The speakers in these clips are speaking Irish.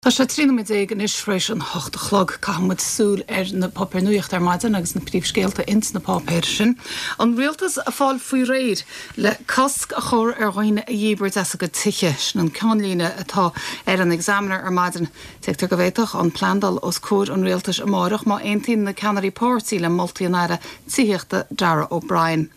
Tá sé 13 nóiméad anois tar éis an hocht a chlog. Caithfidh muid súil ar na páipéir nuachta ar maidin agus na príomhscéalta ins na páipéir sin. An rialtas ag fáil faoi réir le cosc a chur ar dhaoine a dhíbirt as a gcuid tithe. Sin an ceannlíne atá ar an Examiner ar maidin. Tuigtear go bhféadfadh an plean dul os comhair an rialtais amáireach má aontaíonn na ceannairí páirtí le moltaí an Aire Tithíochta Darragh O'Brien.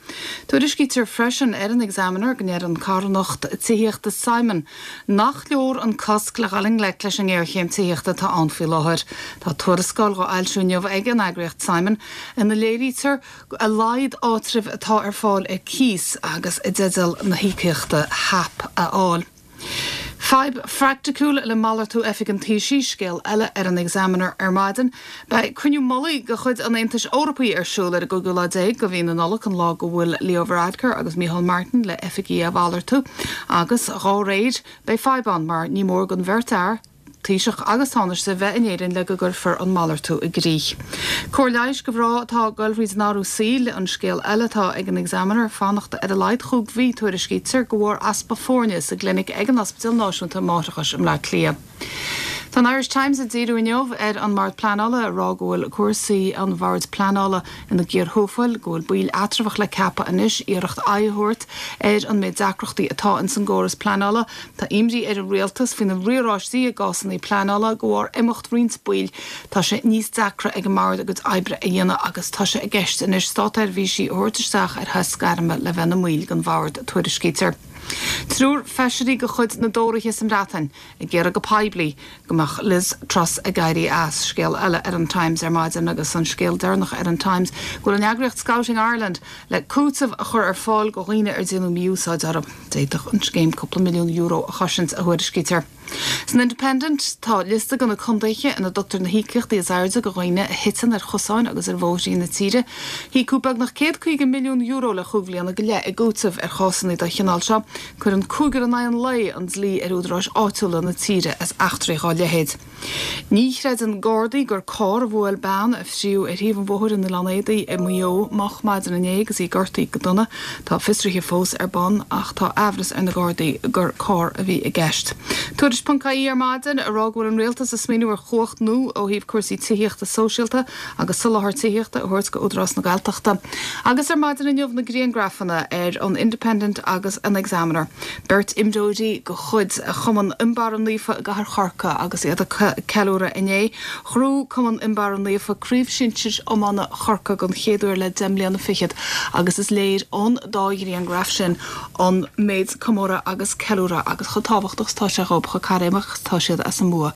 Tuairiscítear freisin ar an Examiner go ndeir an carthanacht tithíochta Simon Nach leor an cosc le dhul i ngleic leis an ngéarchéim tithíochta atá ann faoi láthair. Tá tuarascáil dhá fhoilsiú inniu ag an eagraíocht Simon ina léirítear a laghad áitribh atá ar fáil ar cíos agus i dteideal na híocaíochta HAP a fháil. Fadhb phraiticiúil le malartú oifig an Taoisigh, scéal eile ar an Examiner ar maidin. Beidh cruinniú mullaigh de chuid an Aontais Eorpaigh ar siúl ar an gcúigiú lá déag de mhí na Nollag, an lá go bhfuil Leo Varadkar agus Micheál Martin le oifigí a mhalartú agus dhá réir, beidh fadhb ann mar ní mór don bheirt fhear, Taoiseach agus Tánaiste, bheith in Éirinn le go gcuirfear an malartú i gcrích. Cóir leighis do mhná atá ag goil thríd an athrú saoil, an scéal eile atá ag an Examiner, fanacht ar a laghad chúig mhí, tuairiscítear, de bharr easpa foirne sa gclinic ag an Ospidéal Náisiúnta Máithreachais i mBleá Cliath. Tá an Irish Times ag díriú inniu ar an mBord Pleanála, ag rá go bhfuil cúrsaí an Bhoird Pleanála ina gcíor thuafail, go bhfuil baill eatramhach le ceapadh anois, iarracht aghaidh a thabhairt ar an méid deacrachtaí atá ins an gcóras pleanála. Tá imní ar an rialtas faoi na riaráistí i gcásanna pleanála de bharr imeacht roinnt baill. Tá sé níos deacra ag an mBord a gcuid oibre a dhéanamh agus tá sé i gceist anois státseirbhísigh a thabhairt isteach ar shos gairme le bheith ina mbaill den Bhord, tuairiscítear. Triúr feisirí de chuid na dTóraithe sa mBreatain ag iarraidh go poiblí go mbeadh Liz Truss ag éirí as. Scéal eile ar an Times ar maidin agus an scéal deireanach ar an Times go bhfuil an eagraíocht Scouting Ireland le cúiteamh a chur ar fáil go dhaoine ar déanadh mí-úsáid orthu. D'fhéadfadh an scéim cúpla milliún euro a chosaint, a thuairiscítear. San Independent, tá liosta de na contaetha ina dtugtar na híocaíochtaí is airde do dhaoine a thiteann ar chosáin agus ar bhóithrí na tíre. Híocadh beagnach €150 milliún le chúig bhliana go leith i gcúiteamh ar chásanna den chineál seo. Cuireann cúigear in aghaidh an lae an dlí ar údaráis áitiúla na tíre as eachtraí dhá leithéid. Ní chreideann Gardaí gur carr a bhuail bean a fríodh ar thaobh an bhóthair in Oileán Éadaí i Maigh Eo moch maidin inné agus í gortaithe go dona. Tá fiosruithe fós ar bun ach tá aimhreas ar na Gardaí gur carr a bhí i gceist. Tuairisc ponc ie ar maidin ag rá go bhfuil an Rialtas ag smaoineamh ar chumhacht nua ó thaobh cúrsaí tithíochta sóisialta agus soláthar tithíochta a thabhairt go Údarás na Gaeltachta. Agus ar maidin inniu na griangrafanna ar an Independent agus an Examiner. Beirt imreoirí de chuid Chumann Fhionnbarra Naofa i gCathair Chorcaí agus iad ag ceiliúradh inné. Ghnóthaigh Cumann Fhionnbarra Naofa Craobh Shinsir Iomána Chorcaí den chéad uair le deich mbliana fichead agus is léir ón dá ghrianghraf sin an méid comóradh agus ceiliúradh agus chomh tábhachtach is atá sé dhóibh, chomh cairéamach is atá siad as an mbua.